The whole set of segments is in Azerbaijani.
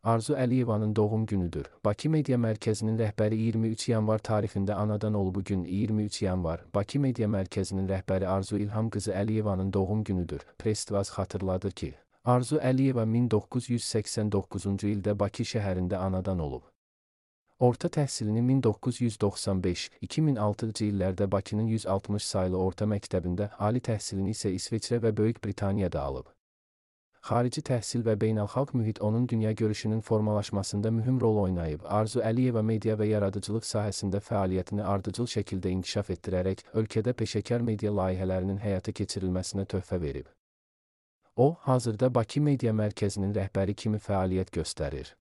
Arzu Əliyevanın doğum günüdür. Bakı Media Mərkəzinin rəhbəri 23 yanvar tarixində anadan olub. Bugün 23 yanvar. Bakı Media Mərkəzinin rəhbəri Arzu İlham qızı Əliyevanın doğum günüdür. Press-TV xatırladır ki, Arzu Əliyeva 1989-cu ildə Bakı şəhərində anadan olub. Orta təhsilini 1995-2006-cı illərdə Bakının 160 saylı orta məktəbində, ali təhsilini isə İsveçrə və Böyük Britaniyada alıb. Xarici təhsil və beynəlxalq mühit onun dünya görüşünün formalaşmasında mühüm rol oynayıb. Arzu Əliyeva media və yaradıcılıq sahəsində fəaliyyətini ardıcıl şəkildə inkişaf etdirərək, ölkədə peşəkar media layihələrinin həyata keçirilməsinə töhfə verib. O, hazırda Bakı Media Mərkəzinin rəhbəri kimi fəaliyyət göstərir.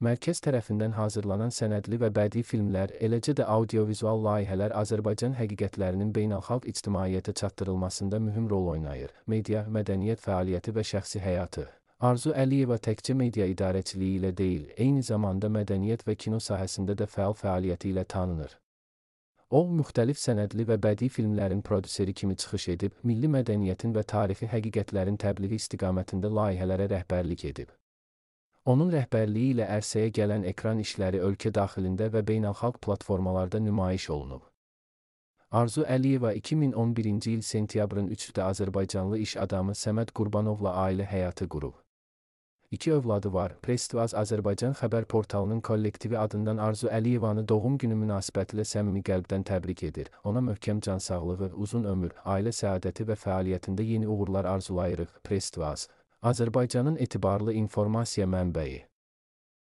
Mərkəz tərəfindən hazırlanan sənədli və bədii filmlər, eləcə də audiovizual layihələr Azərbaycan həqiqətlərinin beynəlxalq ictimaiyyətə çatdırılmasında mühüm rol oynayır. Media, mədəniyyət fəaliyyəti və şəxsi həyatı. Arzu Əliyeva təkcə media idarəçiliyi ilə deyil, eyni zamanda mədəniyyət və kino sahəsində də fəal fəaliyyəti ilə tanınır. O, müxtəlif sənədli və bədii filmlərin prodüseri kimi çıxış edib, milli mədəniyyətin və tarixi həqiqətlərin təbliği istiqamətində layihələrə rəhbərlik edib. Onun rəhbərliyi ilə ərsəyə gələn ekran işləri ölkə daxilində və beynəlxalq platformalarda nümayiş olunub. Arzu Əliyeva 2011-ci il sentyabrın 3-də Azərbaycanlı iş adamı Səməd Qurbanovla ailə həyatı qurub. 2 övladı var. Press-TV Azərbaycan xəbər portalının kollektivi adından Arzu Əliyevanı doğum günü münasibətilə səmimi qəlbdən təbrik edir. Ona möhkəm can sağlığı, uzun ömür, ailə səadəti və fəaliyyətində yeni uğurlar arzulayırıq. Press-TV Azərbaycanın etibarlı informasiya mənbəyi.